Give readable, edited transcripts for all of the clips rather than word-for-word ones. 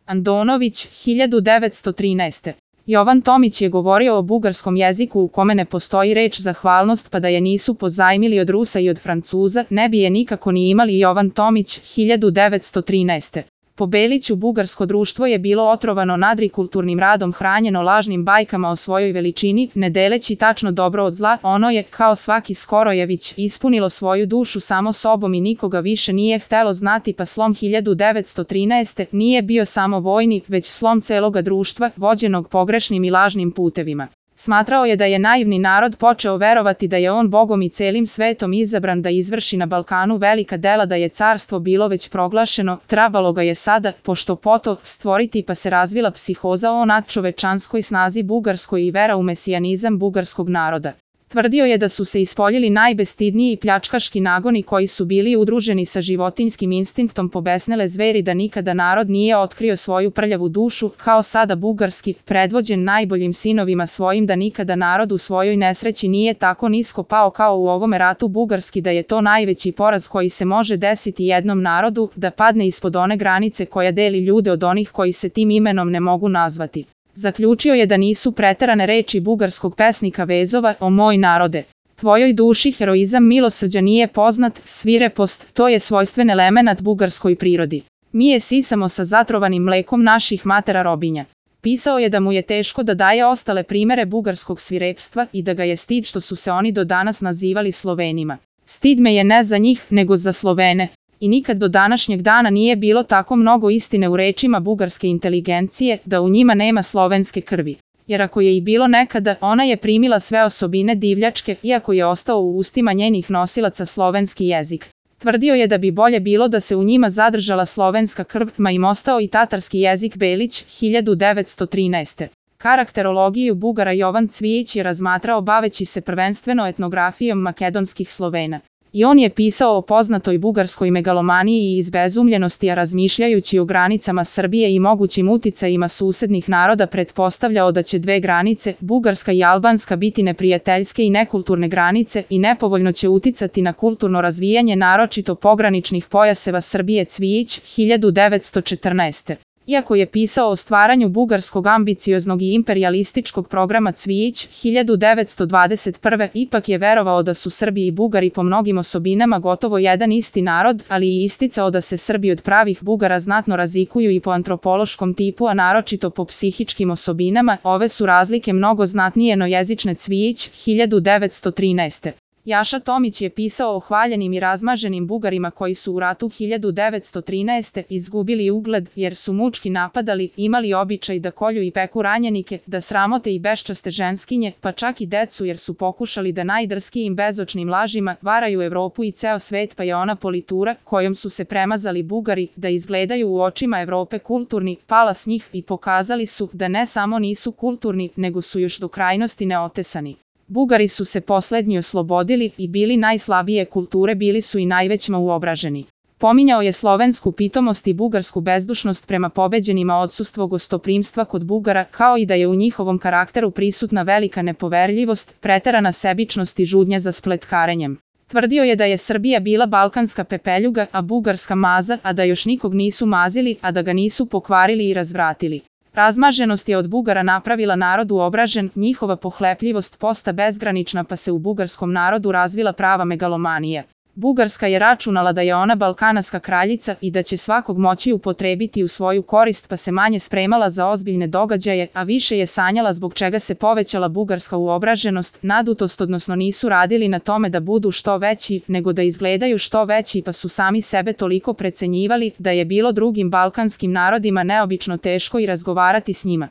Andonović, 1913. Jovan Tomić je govorio o bugarskom jeziku u kome ne postoji reč zahvalnost, pa da je nisu pozajmili od Rusa i od Francuza, ne bi je nikako ni imali. Jovan Tomić, 1913. Po Beliću bugarsko društvo je bilo otrovano nadrikulturnim radom, hranjeno lažnim bajkama o svojoj veličini, ne deleći tačno dobro od zla. Ono je, kao svaki Skorojević, ispunilo svoju dušu samo sobom i nikoga više nije htelo znati, pa slom 1913. nije bio samo vojni, već slom celoga društva, vođenog pogrešnim i lažnim putevima. Smatrao je da je naivni narod počeo verovati da je on Bogom i celim svetom izabran da izvrši na Balkanu velika dela, da je carstvo bilo već proglašeno, trebalo ga je sada, pošto poto, stvoriti, pa se razvila psihoza o nadčovečanskoj snazi bugarskoj i vera u mesijanizam bugarskog naroda. Tvrdio je da su se ispoljili najbestidniji i pljačkaški nagoni koji su bili udruženi sa životinjskim instinktom pobesnele zveri, da nikada narod nije otkrio svoju prljavu dušu, kao sada bugarski, predvođen najboljim sinovima svojim, da nikada narod u svojoj nesreći nije tako nisko pao kao u ovome ratu bugarski, da je to najveći poraz koji se može desiti jednom narodu, da padne ispod one granice koja deli ljude od onih koji se tim imenom ne mogu nazvati. Zaključio je da nisu preterane reči bugarskog pesnika Vezova: o moj narode, tvojoj duši heroizam milosrđa nije poznat, svirepost, to je svojstven elemenat bugarskoj prirodi. Mi je sisamo sa zatrovanim mlekom naših matera robinja. Pisao je da mu je teško da daje ostale primere bugarskog svirepstva i da ga je stid što su se oni do danas nazivali Slovenima. Stid me je ne za njih, nego za Slovene. I nikad do današnjeg dana nije bilo tako mnogo istine u rečima bugarske inteligencije, da u njima nema slovenske krvi. Jer ako je i bilo nekada, ona je primila sve osobine divljačke, iako je ostao u ustima njenih nosilaca slovenski jezik. Tvrdio je da bi bolje bilo da se u njima zadržala slovenska krv, ma im ostao i tatarski jezik. Belić, 1913. Karakterologiju Bugara Jovan Cvijić je razmatrao baveći se prvenstveno etnografijom makedonskih Slovena. I on je pisao o poznatoj bugarskoj megalomaniji i izbezumljenosti, a razmišljajući o granicama Srbije i mogućim uticajima susednih naroda pretpostavljao da će dve granice, bugarska i albanska, biti neprijateljske i nekulturne granice i nepovoljno će uticati na kulturno razvijanje naročito pograničnih pojaseva Srbije. Cvijić, 1914. Iako je pisao o stvaranju bugarskog ambicioznog i imperijalističkog programa, Cvijić, 1921. ipak je verovao da su Srbi i Bugari po mnogim osobinama gotovo jedan isti narod, ali i isticao da se Srbi od pravih Bugara znatno razlikuju i po antropološkom tipu, a naročito po psihičkim osobinama. Ove su razlike mnogo znatnije no jezične. Cvijić, 1913. Jaša Tomić je pisao o hvaljenim i razmaženim Bugarima koji su u ratu 1913. izgubili ugled jer su mučki napadali, imali običaj da kolju i peku ranjenike, da sramote i beščaste ženskinje, pa čak i decu, jer su pokušali da najdrskijim bezočnim lažima varaju Evropu i ceo svet, pa je ona politura kojom su se premazali Bugari da izgledaju u očima Evrope kulturni, pala s njih i pokazali su da ne samo nisu kulturni, nego su još do krajnosti neotesani. Bugari su se poslednji oslobodili i bili najslabije kulture, bili su i najvećma uobraženi. Pominjao je slovensku pitomost i bugarsku bezdušnost prema pobeđenima, odsustvo gostoprimstva kod Bugara, kao i da je u njihovom karakteru prisutna velika nepoverljivost, preterana sebičnost i žudnja za spletkarenjem. Tvrdio je da je Srbija bila balkanska pepeljuga, a bugarska maza, a da još nikog nisu mazili, a da ga nisu pokvarili i razvratili. Razmaženost je od Bugara napravila narod uobražen, njihova pohlepljivost posta bezgranična, pa se u bugarskom narodu razvila prava megalomanija. Bugarska je računala da je ona balkanaska kraljica i da će svakog moći upotrebiti u svoju korist, pa se manje spremala za ozbiljne događaje, a više je sanjala, zbog čega se povećala bugarska uobraženost, nadutost, odnosno nisu radili na tome da budu što veći, nego da izgledaju što veći, pa su sami sebe toliko precenjivali da je bilo drugim balkanskim narodima neobično teško i razgovarati s njima.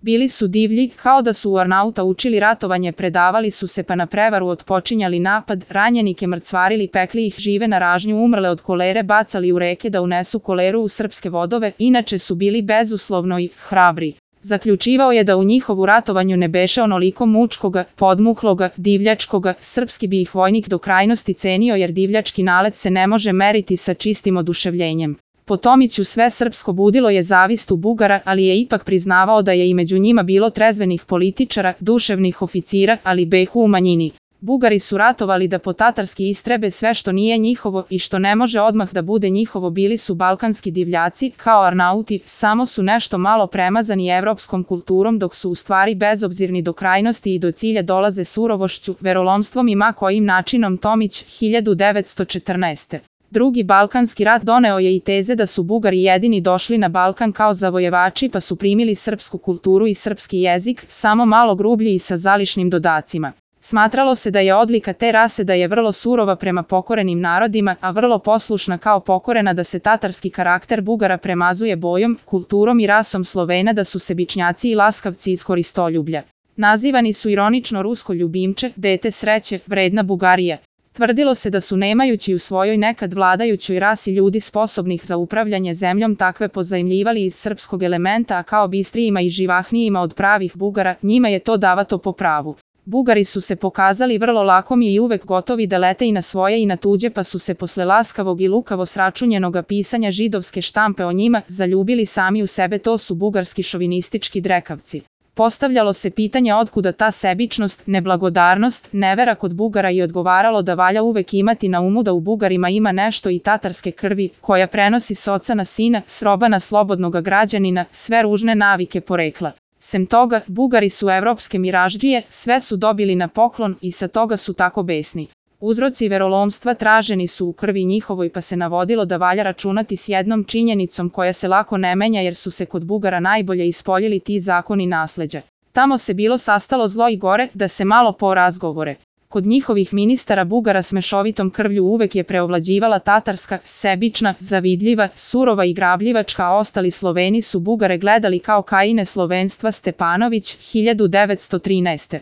Bili su divlji, kao da su u Arnauta učili ratovanje, predavali su se pa na prevaru otpočinjali napad, ranjenike mrcvarili, pekli ih žive na ražnju, umrle od kolere bacali u reke da unesu koleru u srpske vodove, inače su bili bezuslovno i hrabri. Zaključivao je da u njihovu ratovanju ne beše onoliko mučkoga, podmukloga, divljačkoga, srpski bi ih vojnik do krajnosti cenio, jer divljački nalet se ne može meriti sa čistim oduševljenjem. Po Tomiću sve srpsko budilo je zavist u Bugara, ali je ipak priznavao da je i među njima bilo trezvenih političara, duševnih oficira, ali behu u manjini. Bugari su ratovali da po-tatarski istrebe sve što nije njihovo i što ne može odmah da bude njihovo. Bili su balkanski divljaci, kao Arnauti, samo su nešto malo premazani evropskom kulturom, dok su u stvari bezobzirni do krajnosti i do cilja dolaze surovošću, verolomstvom i ma kojim načinom. Tomić, 1914. Drugi balkanski rat doneo je i teze da su Bugari jedini došli na Balkan kao zavojevači pa su primili srpsku kulturu i srpski jezik, samo malo grublji i sa zališnim dodacima. Smatralo se da je odlika te rase da je vrlo surova prema pokorenim narodima, a vrlo poslušna kao pokorena, da se tatarski karakter Bugara premazuje bojom, kulturom i rasom Slovena, da su sebičnjaci i laskavci iz koristoljublja. Nazivani su ironično rusko ljubimče, dete sreće, vredna Bugarija. Tvrdilo se da su nemajući u svojoj nekad vladajućoj rasi ljudi sposobnih za upravljanje zemljom takve pozajmljivali iz srpskog elementa, a kao bistrijima i živahnijima od pravih Bugara, njima je to davato po pravu. Bugari su se pokazali vrlo lakomi i uvek gotovi da lete i na svoje i na tuđe, pa su se posle laskavog i lukavo sračunjenoga pisanja židovske štampe o njima zaljubili sami u sebe. To su bugarski šovinistički drekavci. Postavljalo se pitanje otkuda ta sebičnost, neblagodarnost, nevera kod Bugara i odgovaralo da valja uvek imati na umu da u Bugarima ima nešto i tatarske krvi, koja prenosi s oca na sina, s roba na slobodnoga građanina, sve ružne navike porekla. Sem toga, Bugari su evropske miraždžije, sve su dobili na poklon i sa toga su tako besni. Uzroci verolomstva traženi su u krvi njihovoj, pa se navodilo da valja računati s jednom činjenicom koja se lako ne menja, jer su se kod Bugara najbolje ispoljili ti zakoni nasleđa. Tamo se bilo sastalo zlo i gore, da se malo porazgovore. Kod njihovih ministara Bugara s mešovitom krvlju uvek je preovlađivala tatarska, sebična, zavidljiva, surova i grabljivačka, a ostali Sloveni su Bugare gledali kao Kaine slovenstva. Stepanović, 1913.